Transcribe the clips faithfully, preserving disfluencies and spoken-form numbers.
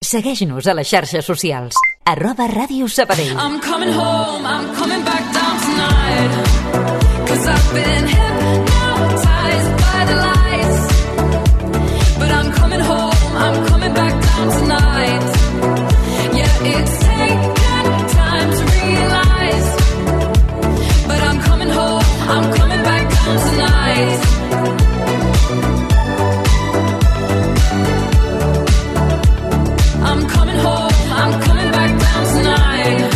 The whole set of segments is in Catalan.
Segueix-nos a les xarxes socials. Arroba Ràdio Sabadell. I'm coming home, I'm coming back down tonight. Cause I've been hypnotized by the lights. But I'm coming home, I'm coming back down tonight. Yeah, it's taken time to realize. But I'm coming home, I'm coming back down tonight. I'm coming home, I'm coming back down tonight.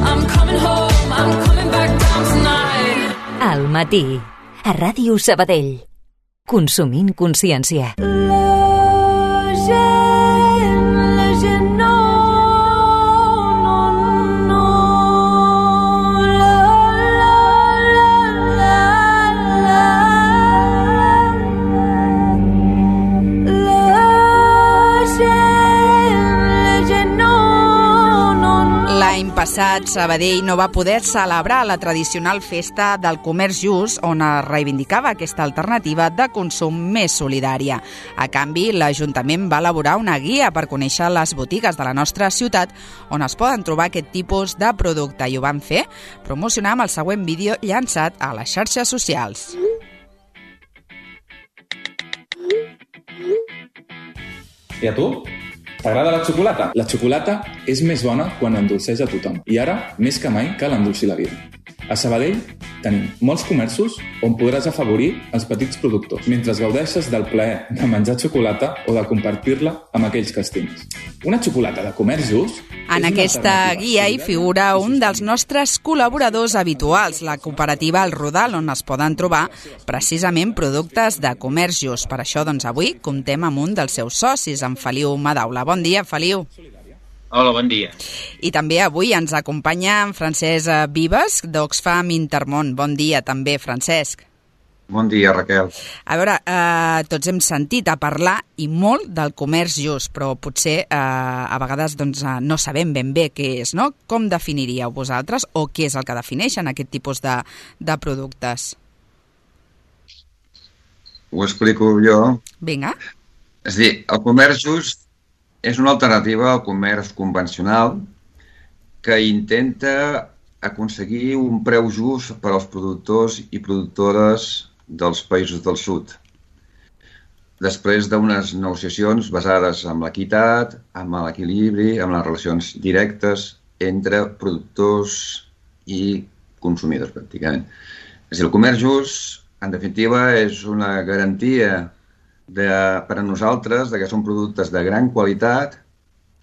I'm coming home, I'm coming back down tonight. Al matí, a Ràdio Sabadell. Consumint consciència. La gent, la gent no, no, no. La, la, la, la, la. La gent, la gent no, no, no. L'any passat, Sabadell no va poder celebrar la tradicional festa del comerç just, on es reivindicava aquesta alternativa de consum més solidària. A canvi, l'Ajuntament va elaborar una guia per conèixer les botigues de la nostra ciutat on es poden trobar aquest tipus de producte, i ho van fer promocionar amb el següent vídeo llançat a les xarxes socials. I a tu? T'agrada la xocolata? La xocolata és més bona quan endolceja tothom. I ara, més que mai, cal endolcir la vida. A Sabadell tenim molts comerços on podràs afavorir els petits productors mentre gaudeixes del plaer de menjar xocolata o de compartir-la amb aquells que estimes. Una xocolata de comerç just... En aquesta guia hi figura un dels nostres col·laboradors habituals, la cooperativa El Rodal, on es poden trobar precisament productes de comerç just. Per això, doncs, avui comptem amb un dels seus socis, en Feliu Madaula. Bon dia, Feliu. Hola, bon dia. I també avui ens acompanya en Francesc Vives, d'Oxfam Intermón. Bon dia també, Francesc. Bon dia, Raquel. A veure, eh, tots hem sentit a parlar i molt del comerç just, però potser eh, a vegades doncs, no sabem ben bé què és, no? Com definiríeu vosaltres o què és el que defineixen aquest tipus de, de productes? Ho explico jo. Vinga. És a dir, el comerç just és una alternativa al comerç convencional que intenta aconseguir un preu just per als productors i productores dels països del sud. Després d'unes negociacions basades en l'equitat, en l'equilibri, en les relacions directes entre productors i consumidors, pràcticament. És a dir, el comerç just, en definitiva, és una garantia de, per a nosaltres de que són productes de gran qualitat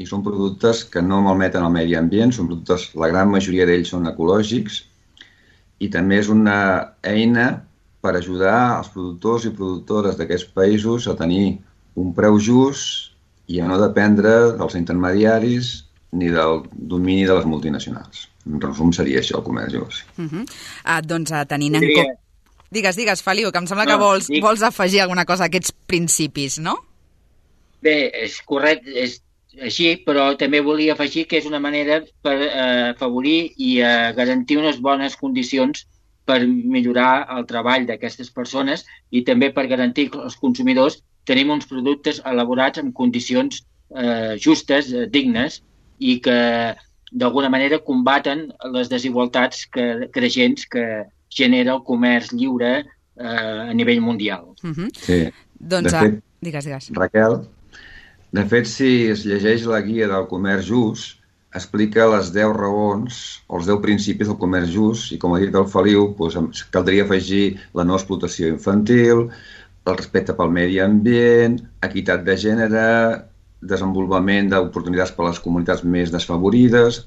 i són productes que no malmeten el medi ambient, són productes, la gran majoria d'ells són ecològics, i també és una eina per ajudar els productors i productores d'aquests països a tenir un preu just i a no dependre dels intermediaris ni del domini de les multinacionals. En resum, seria això el comerç just. Uh -huh. ah, doncs tenint en compte... Digues, digues, Feliu, que em sembla que vols, vols afegir alguna cosa a aquests principis, no? Bé, és correcte, és així, però també volia afegir que és una manera per eh, afavorir i eh, garantir unes bones condicions per millorar el treball d'aquestes persones i també per garantir que els consumidors tenim uns productes elaborats en condicions eh, justes, eh, dignes, i que d'alguna manera combaten les desigualtats que, creixents que genera el comerç lliure eh, a nivell mundial. Uh-huh. Sí. Doncs, de fet, digues, digues. Raquel, de fet, si es llegeix la guia del comerç just, explica les deu raons o els deu principis del comerç just, i com ha dit el Feliu, doncs, caldria afegir la no explotació infantil, el respecte pel medi ambient, equitat de gènere, desenvolupament d'oportunitats per a les comunitats més desfavorides,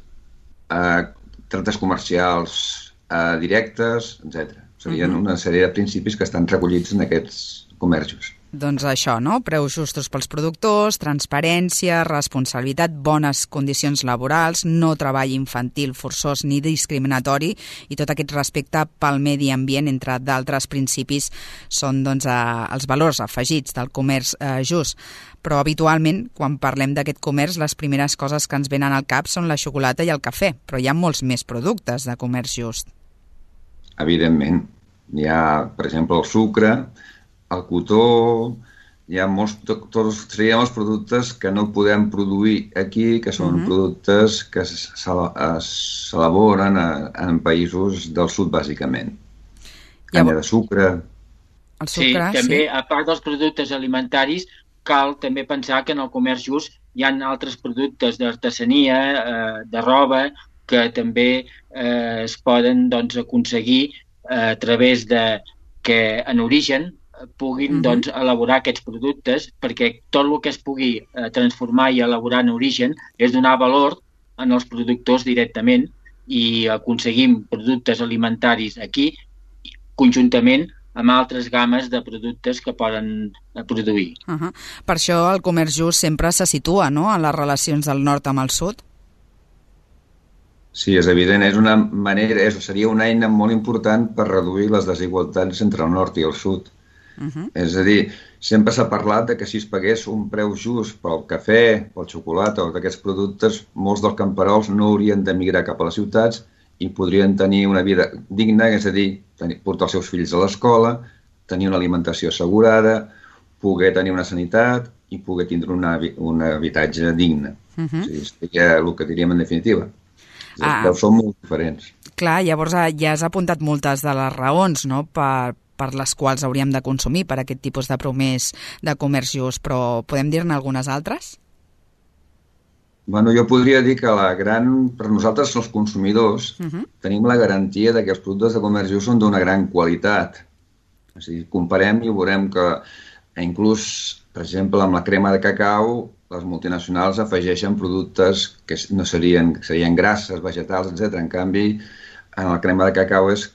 eh, tractes comercials eh, directes, etcètera. Serien una sèrie de principis que estan recollits en aquests comerços. Doncs això, no? Preus justos pels productors, transparència, responsabilitat, bones condicions laborals, no treball infantil forçós ni discriminatori, i tot aquest respecte pel medi ambient, entre d'altres principis, són doncs, eh, els valors afegits del comerç eh, just. Però habitualment, quan parlem d'aquest comerç, les primeres coses que ens venen al cap són la xocolata i el cafè, però hi ha molts més productes de comerç just. Evidentment. Hi ha, per exemple, el sucre, el cotó, hi ha molts, tots serien els productes que no podem produir aquí, que són uh-huh. productes que s'elaboren en països del sud, bàsicament. Canya de sucre. El sucre, sí, també, sí. A part dels productes alimentaris, cal també pensar que en el comerç just hi ha altres productes d'artesania, eh, de roba, que també eh, es poden doncs, aconseguir eh, a través de que en origen puguin uh-huh. doncs, elaborar aquests productes, perquè tot el que es pugui eh, transformar i elaborar en origen és donar valor en els productors directament i aconseguim productes alimentaris aquí conjuntament amb altres games de productes que poden produir. Uh-huh. Per això el comerç just sempre se situa, no?, en les relacions del nord amb el sud. Sí, és evident, és una manera, és, seria una eina molt important per reduir les desigualtats entre el nord i el sud. Uh-huh. És a dir, sempre s'ha parlat de que si es pagués un preu just pel cafè, pel xocolata o d'aquests productes, molts dels camperols no haurien d'emigrar cap a les ciutats i podrien tenir una vida digna, és a dir, tenir, portar els seus fills a l'escola, tenir una alimentació assegurada, poder tenir una sanitat i poder tindre una, un habitatge digne. Uh-huh. O sigui, seria el que diríem en definitiva. Ah. Però són molt diferents. Clar, llavors ja has apuntat moltes de les raons, no?, per, per les quals hauríem de consumir per aquest tipus de promès de comerç just, però podem dir-ne algunes altres? Bueno, jo podria dir que la gran, per nosaltres, els consumidors, uh-huh. tenim la garantia de que els productes de comerç just són d'una gran qualitat. O sigui, comparem i veurem que inclús, per exemple, amb la crema de cacau, les multinacionals afegeixen productes que no serien, que serien grasses, vegetals, etcètera. En canvi, en la crema de cacau és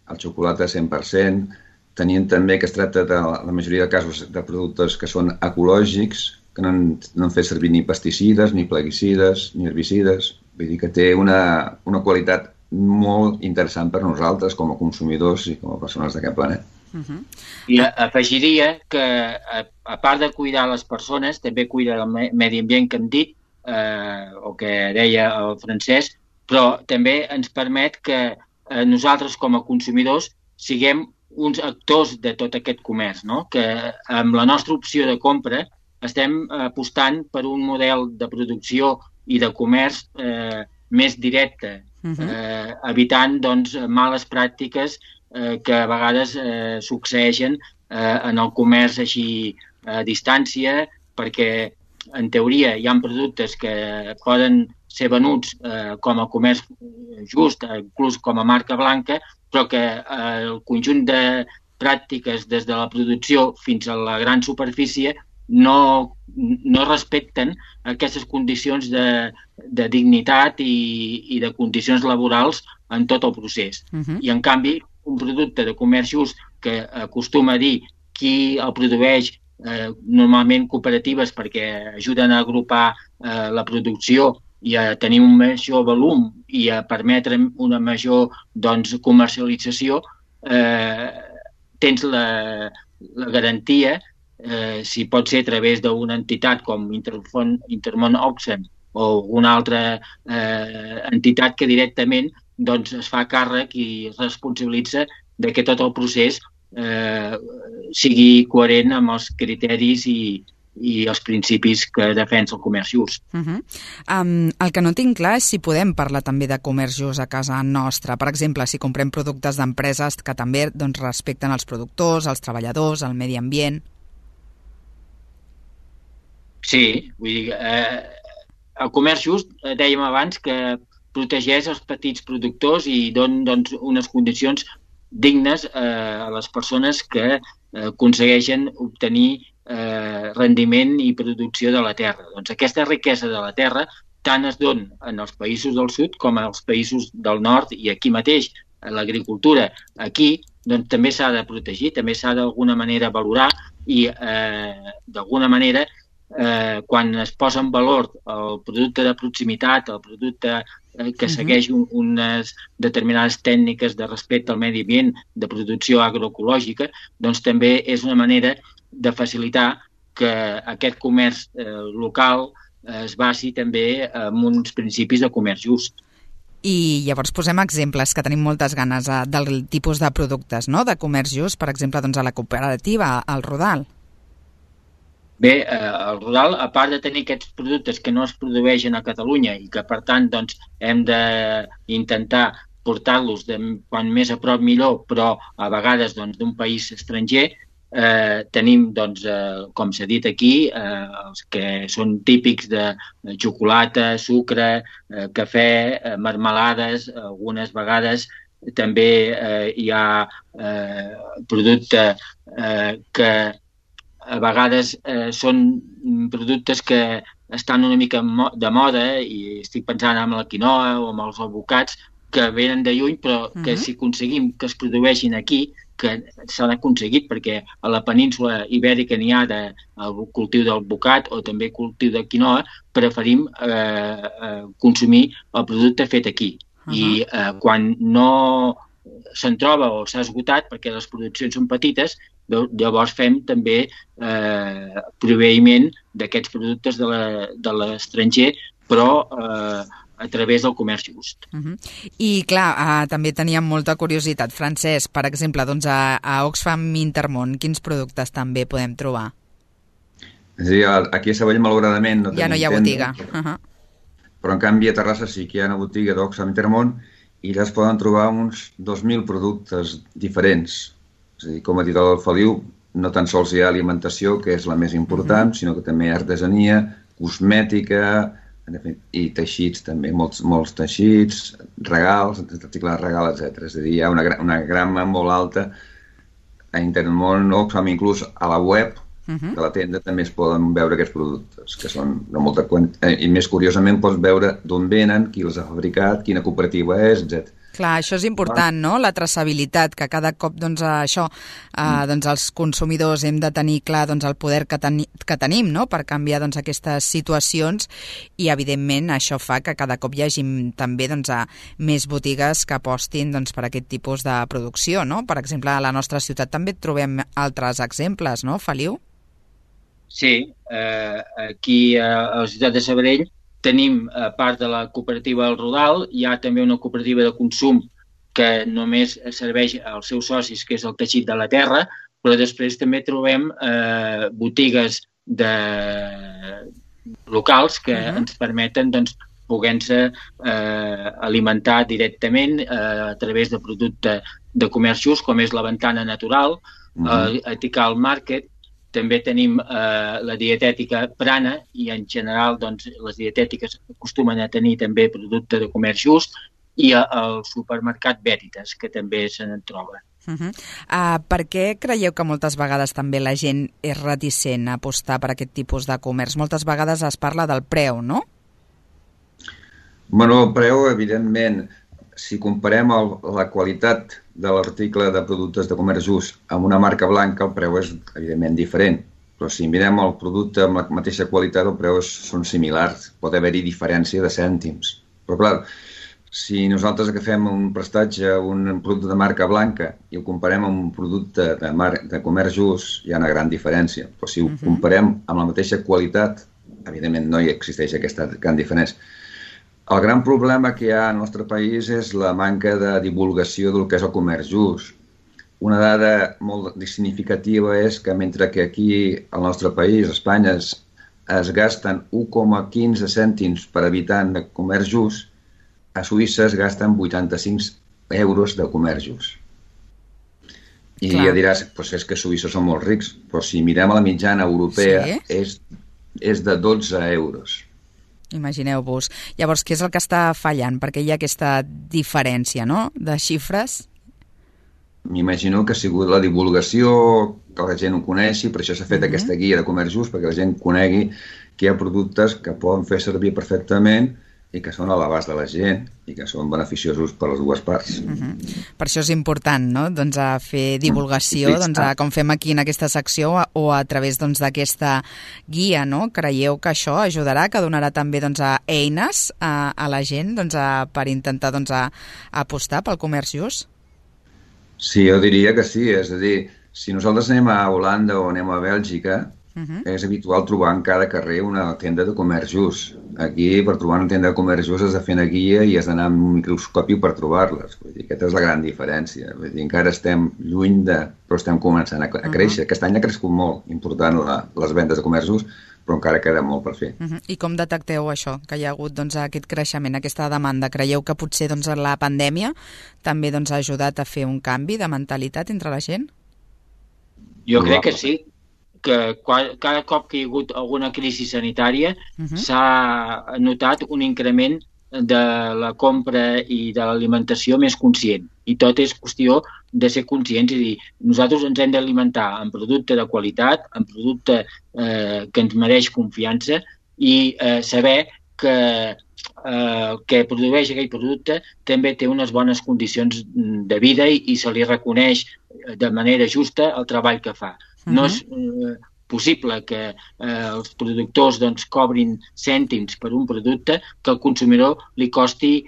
el xocolata cent per cent. Tenim també que es tracta de la majoria de casos de productes que són ecològics, que no han, no han fet servir ni pesticides, ni plaguicides, ni herbicides. Vull dir que té una, una qualitat molt interessant per nosaltres com a consumidors i com a persones d'aquest planeta. Uh-huh. I afegiria que, a, a part de cuidar les persones, també cuida el medi ambient que hem dit, eh, o que deia el Francesc, però també ens permet que eh, nosaltres com a consumidors siguem uns actors de tot aquest comerç, no? Que amb la nostra opció de compra estem apostant per un model de producció i de comerç eh, més directe, uh-huh. eh, evitant doncs, males pràctiques eh, que a vegades eh, succeeixen eh, en el comerç així a distància, perquè en teoria hi ha productes que poden ser venuts eh, com a comerç just, inclús com a marca blanca, però que eh, el conjunt de pràctiques des de la producció fins a la gran superfície no, no respecten aquestes condicions de, de dignitat i, i de condicions laborals en tot el procés. Uh-huh. I, en canvi, un producte de comerç just que acostuma a dir qui el produeix, eh, normalment cooperatives perquè ajuden a agrupar eh, la producció i a tenir un major volum i a permetre una major doncs, comercialització, eh, tens la, la garantia, eh, si pot ser a través d'una entitat com Intermón, Intermón Oxfam o alguna altra eh, entitat que directament doncs, es fa càrrec i es responsabilitza de que tot el procés eh, sigui coherent amb els criteris i, i els principis que defensa el comerç just. Uh-huh. Um, el que no tinc clar és si podem parlar també de comerç just a casa nostra. Per exemple, si comprem productes d'empreses que també doncs, respecten els productors, els treballadors, el medi ambient. Sí, vull dir, eh, el comerç just, eh, dèiem abans, que protegeix els petits productors i dona doncs, unes condicions dignes eh, a les persones que eh, aconsegueixen obtenir eh, rendiment i producció de la terra. Doncs aquesta riquesa de la terra tant es dona en els països del sud com als països del nord i aquí mateix, l'agricultura aquí, doncs també s'ha de protegir, també s'ha d'alguna manera valorar i eh, d'alguna manera eh, quan es posa en valor el producte de proximitat, el producte eh, que segueix un, unes determinades tècniques de respecte al medi ambient, de producció agroecològica, doncs també és una manera de facilitar que aquest comerç eh, local es basi també en uns principis de comerç just. I llavors posem exemples, que tenim moltes ganes eh, del tipus de productes, no?, de comerç just, per exemple, doncs a la cooperativa, al Rodal. Bé, eh, el Rodal, a part de tenir aquests productes que no es produeixen a Catalunya i que, per tant, doncs, hem d'intentar portar-los de quan més a prop millor, però a vegades doncs, d'un país estranger, eh, tenim, doncs, eh, com s'ha dit aquí, eh, els que són típics de xocolata, sucre, eh, cafè, eh, marmelades, algunes vegades també eh, hi ha eh, producte eh, que a vegades eh, són productes que estan una mica de moda, i estic pensant en la quinoa o en els avocats, que venen de lluny, però uh-huh. que si aconseguim que es produeixin aquí, que s'han aconseguit, perquè a la península ibèrica n'hi ha de, el cultiu del bocat o també cultiu de quinoa, preferim eh, eh, consumir el producte fet aquí. Uh-huh. I eh, quan no se'n troba o s'ha esgotat, perquè les produccions són petites, llavors fem també eh, proveïment d'aquests productes de l'estranger, però eh, a través del comerç just. Uh-huh. I clar, uh, també teníem molta curiositat. Francesc, per exemple, doncs a, a Oxfam Intermón, quins productes també podem trobar? És a dir, aquí a Sabadell, malauradament, no ja no hi ha botiga. Uh-huh. Però en canvi a Terrassa sí que hi ha una botiga d'Oxfam Intermón i allà es poden trobar uns dos mil productes diferents. És a dir, com ha dit el Feliu, no tan sols hi ha alimentació, que és la més important, uh-huh. sinó que també hi ha artesania, cosmètica, i teixits també, molts, molts teixits, regals, articles de regal, etcètera. És a dir, hi ha una, una gamma molt alta a Intermón, Oxfam, inclús a la web uh-huh. de la tenda també es poden veure aquests productes, que són de molta quantitat, i més curiosament pots veure d'on venen, qui els ha fabricat, quina cooperativa és, etcètera. Clar, això és important, no?, la traçabilitat, que cada cop doncs, això, eh, doncs, els consumidors hem de tenir clar doncs, el poder que, teni que tenim, no?, per canviar doncs, aquestes situacions, i evidentment això fa que cada cop hi hagi també doncs, a més botigues que apostin doncs, per aquest tipus de producció, no? Per exemple, a la nostra ciutat també trobem altres exemples, no, Feliu? Sí, eh, aquí a la ciutat de Sabadell tenim, a part de la cooperativa del Rodal, hi ha també una cooperativa de consum que només serveix als seus socis, que és el Teixit de la Terra, però després també trobem eh, botigues de... locals que uh-huh. ens permeten doncs, poder-se eh, alimentar directament eh, a través de producte de comerç just, com és la Ventana Natural, uh-huh. eh, Ethical Market. També tenim eh, la dietètica Prana i en general doncs, les dietètiques acostumen a tenir també producte de comerç just, i a, el supermercat Veritas, que també se n'en troba. Uh-huh. uh, per què creieu que moltes vegades també la gent és reticent a apostar per aquest tipus de comerç? Moltes vegades es parla del preu, no? Bueno, el preu, evidentment, si comparem el, la qualitat de l'article de productes de comerç just amb una marca blanca, el preu és evidentment diferent. Però si mirem el producte amb la mateixa qualitat, el preu és, són similars. Pot haver-hi diferència de cèntims. Però clar, si nosaltres agafem un prestatge, un producte de marca blanca i el comparem amb un producte de, mar de comerç just, hi ha una gran diferència. Però si ho comparem amb la mateixa qualitat, evidentment no hi existeix aquesta gran diferència. El gran problema que hi ha al nostre país és la manca de divulgació del que és el comerç just. Una dada molt significativa és que mentre que aquí, al nostre país, a Espanya, es, es gasten un coma quinze cèntims per habitant de comerç just, a Suïssa es gasten vuitanta-cinc euros de comerç just. I Clar. ja diràs, pues és que a Suïssa són molt rics, però si mirem a la mitjana europea, sí? és, és de dotze euros. Imagineu-vos. Llavors, què és el que està fallant? Perquè hi ha aquesta diferència, no?, de xifres? M'imagino que ha sigut la divulgació, que la gent ho coneixi, per això s'ha fet uh-huh. aquesta guia de comerç just, perquè la gent conegui que hi ha productes que poden fer servir perfectament i que són a l'abast de la gent i que són beneficiosos per les dues parts. Uh-huh. Per això és important, no?, doncs, a fer divulgació, doncs, a, com fem aquí en aquesta secció, o a través doncs, d'aquesta guia, no? Creieu que això ajudarà, que donarà també doncs, a eines a, a la gent doncs, a, per intentar doncs, a, a apostar pel comerç just? Sí, jo diria que sí. És a dir, si nosaltres anem a Holanda o anem a Bèlgica, Uh-huh. És habitual trobar en cada carrer una tenda de comerç just. Aquí, per trobar una tenda de comerç just, has de fer una guia i has d'anar amb un microscopi per trobar-les. Vull dir, aquesta és la gran diferència. Vull dir, encara estem lluny de... però estem començant a, a créixer. Uh-huh. Aquest any ha crescut molt, important la, les vendes de comerç just, però encara queda molt per fer. Uh-huh. I com detecteu això, que hi ha hagut doncs, aquest creixement, aquesta demanda? Creieu que potser doncs, la pandèmia també doncs, ha ajudat a fer un canvi de mentalitat entre la gent? Jo crec que sí, que cada cop que hi ha hagut alguna crisi sanitària uh-huh. s'ha notat un increment de la compra i de l'alimentació més conscient. I tot és qüestió de ser conscients i dir, nosaltres ens hem d'alimentar amb producte de qualitat, amb producte eh, que ens mereix confiança i eh, saber que eh, que produeix aquell producte també té unes bones condicions de vida i, i se li reconeix de manera justa el treball que fa. Uh-huh. No és eh, possible que eh, els productors doncs, cobrin cèntims per un producte que al consumidor li costi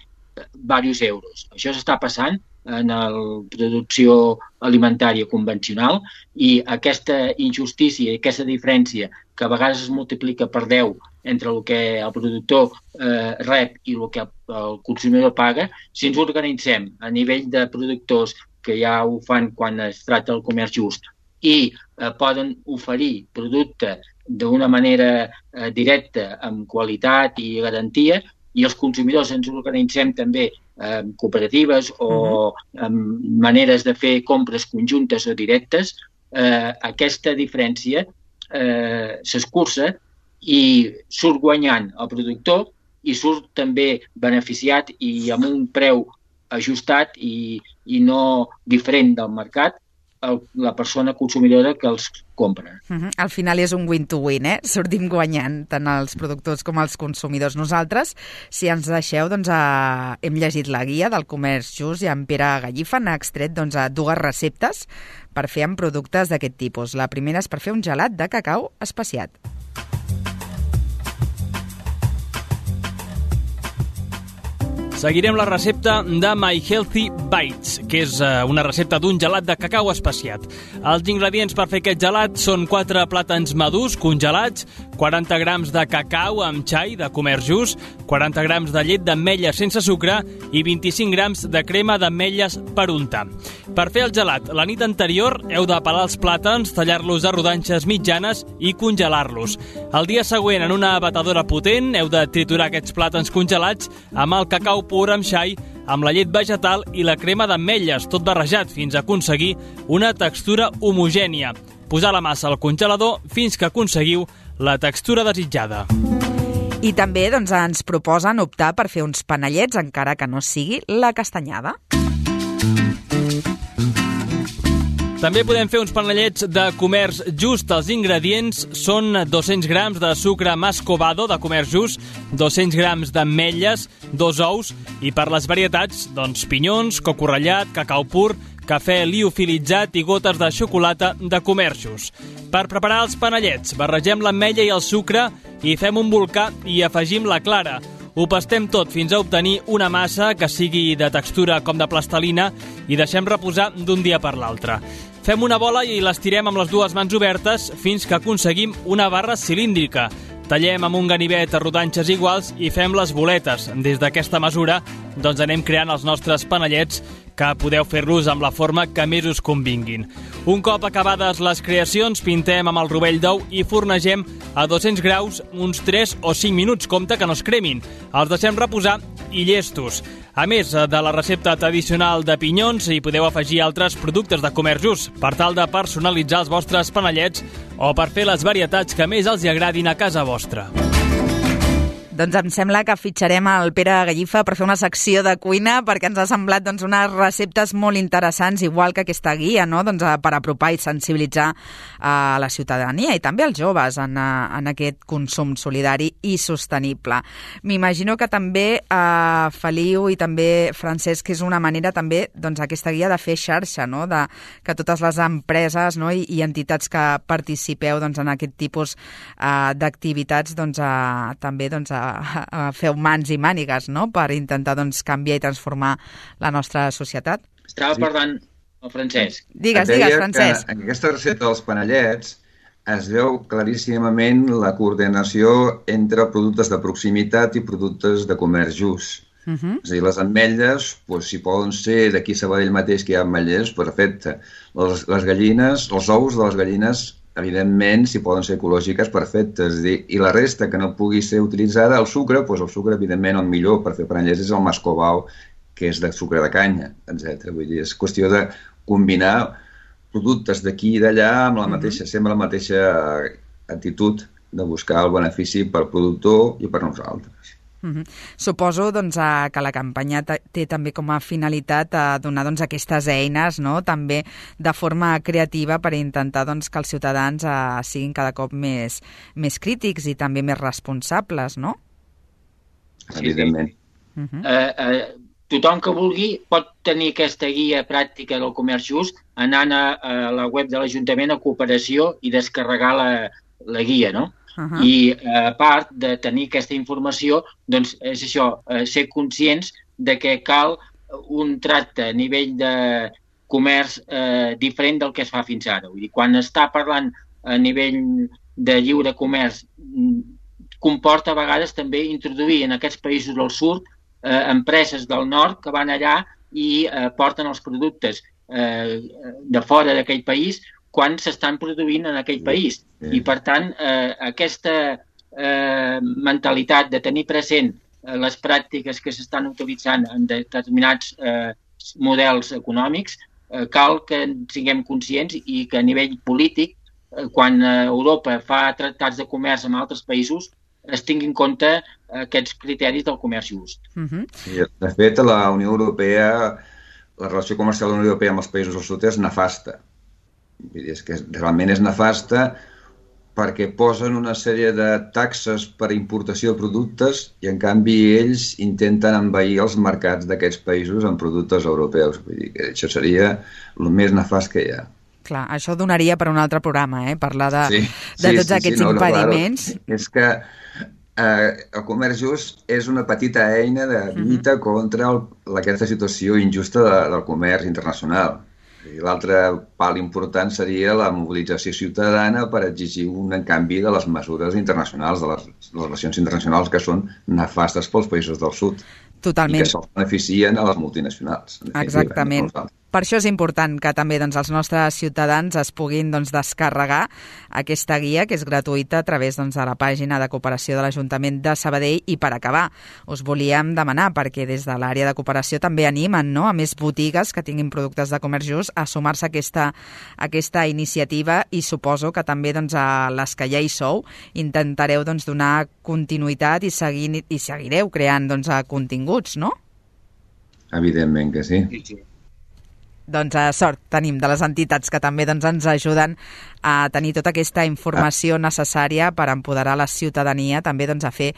diversos euros. Això s'està passant en la producció alimentària convencional i aquesta injustícia i aquesta diferència que a vegades es multiplica per deu entre el que el productor eh, rep i el que el consumidor paga, si ens organitzem a nivell de productors que ja ho fan quan es tracta del comerç just i eh, poden oferir producte d'una manera eh, directa, amb qualitat i garantia, i els consumidors ens organitzem també amb cooperatives o uh-huh. amb maneres de fer compres conjuntes o directes, eh, aquesta diferència eh, s'escurça i surt guanyant el productor i surt també beneficiat i amb un preu ajustat i, i no diferent del mercat el, la persona consumidora que els compra. Uh-huh. Al final és un win-to-win, eh? Sortim guanyant tant els productors com els consumidors. Nosaltres, si ens deixeu, doncs, a... hem llegit la guia del comerç just i en Pere Gallifa n'ha extret doncs, a dues receptes per fer amb productes d'aquest tipus. La primera és per fer un gelat de cacau especiat. Seguirem la recepta de My Healthy Bites, que és una recepta d'un gelat de cacau especiat. Els ingredients per fer aquest gelat són quatre plàtans madurs congelats, quaranta grams de cacau amb xai de comerç just, quaranta grams de llet d'ametlles sense sucre i vint-i-cinc grams de crema d'ametlles per untar. Per fer el gelat, la nit anterior heu de pelar els plàtans, tallar-los a rodanxes mitjanes i congelar-los. El dia següent, en una batedora potent, heu de triturar aquests plàtans congelats amb el cacau pur amb xai, amb la llet vegetal i la crema d'ametlles, tot barrejat fins a aconseguir una textura homogènia. Posar la massa al congelador fins que aconseguiu la textura desitjada. I també doncs, ens proposen optar per fer uns panellets, encara que no sigui la castanyada. També podem fer uns panellets de comerç just. Els ingredients són dos-cents grams de sucre mascovado de comerç just, dos-cents grams d'ametlles, dos ous i per les varietats, doncs, pinyons, coco ratllat, cacau pur, cafè liofilitzat i gotes de xocolata de comerç just. Per preparar els panellets, barregem l'ametlla i el sucre i fem un volcà i afegim la clara. Ho pastem tot fins a obtenir una massa que sigui de textura com de plastelina i deixem reposar d'un dia per l'altre. Fem una bola i l'estirem amb les dues mans obertes fins que aconseguim una barra cilíndrica. Tallem amb un ganivet a rodanxes iguals i fem les boletes. Des d'aquesta mesura doncs anem creant els nostres panellets que podeu fer-los amb la forma que més us convinguin. Un cop acabades les creacions, pintem amb el rovell d'ou i fornegem a dos-cents graus uns tres o cinc minuts. Compte que no es cremin. Els deixem reposar i llestos. A més de la recepta tradicional de pinyons, hi podeu afegir altres productes de comerç just per tal de personalitzar els vostres panellets o per fer les varietats que més els agradin a casa vostra. Doncs em sembla que fitxarem el Pere Gallifa per fer una secció de cuina perquè ens ha semblat doncs, unes receptes molt interessants, igual que aquesta guia, no? doncs, per apropar i sensibilitzar a la ciutadania i també als joves en, en aquest consum solidari i sostenible. M'imagino que també eh, Feliu i també Francesc és una manera també doncs, aquesta guia de fer xarxa, no? de, que totes les empreses no? I, i entitats que participeu doncs, en aquest tipus eh, d'activitats doncs, eh, també doncs, feu mans i mànigues, no?, per intentar doncs, canviar i transformar la nostra societat. Estava parlant el Francesc. Digues, digues, Francesc. En aquesta recepta dels panellets es veu claríssimament la coordinació entre productes de proximitat i productes de comerç just. Uh -huh. És a dir, les ametlles, doncs, si poden ser d'aquí a Sabadell mateix que hi ha ametllers, perfecte. Les, les gallines, els ous de les gallines, evidentment, si poden ser ecològiques, perfecte. És a dir, i la resta que no pugui ser utilitzada, el sucre, doncs el sucre, evidentment, el millor per fer panellets és el mascobau, que és de sucre de canya, etcètera. Vull dir, és qüestió de combinar productes d'aquí i d'allà amb la mateixa, sempre la mateixa actitud de buscar el benefici per productor i per nosaltres. Uh-huh. Suposo doncs, que la campanya té també com a finalitat a donar doncs, aquestes eines, no? També de forma creativa per intentar doncs, que els ciutadans uh, siguin cada cop més, més crítics i també més responsables, no? Evidentment. Uh-huh. eh, eh, tothom que vulgui pot tenir aquesta guia pràctica del comerç just anant a, a la web de l'Ajuntament a Cooperació i descarregar la, la guia, no? Uh-huh. I a part de tenir aquesta informació, doncs és això, eh, ser conscients de que cal un tracte a nivell de comerç eh, diferent del que es fa fins ara. Vull dir, quan està parlant a nivell de lliure comerç, comporta a vegades també introduir en aquests països del sud eh, empreses del nord que van allà i eh, porten els productes eh, de fora d'aquell país quan s'estan produint en aquell país. I, per tant, eh, aquesta eh, mentalitat de tenir present eh, les pràctiques que s'estan utilitzant en determinats eh, models econòmics, eh, cal que siguem conscients i que a nivell polític, eh, quan Europa fa tractats de comerç amb altres països, es tingui en compte aquests criteris del comerç just. Uh-huh. Sí, de fet, la Unió Europea, la relació comercial de la Unió Europea amb els països del sud és nefasta. Vull dir, és que realment és nefasta perquè posen una sèrie de taxes per importació de productes i, en canvi, ells intenten envair els mercats d'aquests països amb productes europeus. Vull dir que això seria el més nefast que hi ha. Clar, això donaria per un altre programa, eh? Parlar de, sí, de sí, tots sí, aquests sí, no, impediments. No, claro. És que eh, el comerç just és una petita eina de lluita uh-huh. contra el, aquesta situació injusta de, del comerç internacional. I l'altre pal important seria la mobilització ciutadana per exigir un canvi de les mesures internacionals, de les, les relacions internacionals que són nefastes pels països del sud. Totalment. I que se'ls beneficien a les multinacionals. Exactament. Per això és important que també doncs, els nostres ciutadans es puguin doncs, descarregar aquesta guia, que és gratuïta a través doncs, de la pàgina de cooperació de l'Ajuntament de Sabadell. I per acabar, us volíem demanar, perquè des de l'àrea de cooperació també animen, no?, a més botigues que tinguin productes de comerç just a sumar-se a aquesta, a aquesta iniciativa, i suposo que també doncs, a les que ja hi sou intentareu doncs, donar continuïtat i, seguir, i seguireu creant doncs, continguts, no? Evidentment que sí. Sí, sí. Doncs a sort tenim de les entitats que també doncs, ens ajuden a tenir tota aquesta informació necessària per empoderar la ciutadania també doncs, a fer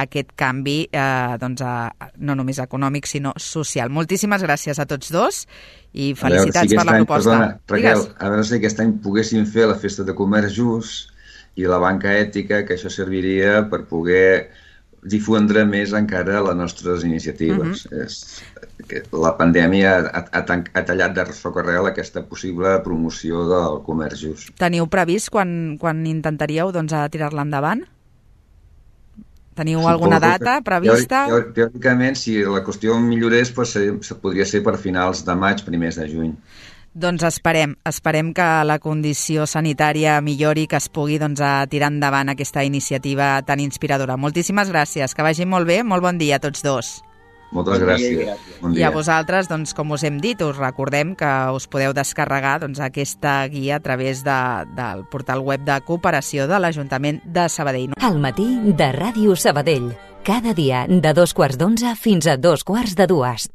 aquest canvi eh, doncs, a, no només econòmic sinó social. Moltíssimes gràcies a tots dos i felicitats si per la any, proposta. Perdona, Raquel, Digues. a veure si aquest any poguéssim fer la festa de comerç just i la banca ètica, que això serviria per poder difondre més encara les nostres iniciatives. Uh-huh. És, que la pandèmia ha, ha, ha tallat de socarrel aquesta possible promoció del comerç just. Teniu previst quan, quan intentaríeu doncs, a tirar-la endavant? Teniu Suposo alguna data prevista? Teòric, teòricament, si la qüestió millorés, pues, se podria ser per finals de maig, primers de juny. Doncs esperem, esperem que la condició sanitària millori, que es pugui doncs, a tirar endavant aquesta iniciativa tan inspiradora. Moltíssimes gràcies, que vagi molt bé, molt bon dia a tots dos. Moltes bon gràcies. Dia, bon dia. I a vosaltres, doncs, com us hem dit, us recordem que us podeu descarregar doncs, aquesta guia a través de, del portal web de cooperació de l'Ajuntament de Sabadell. Al matí de Ràdio Sabadell, cada dia de dos quarts d'onze fins a dos quarts de dues.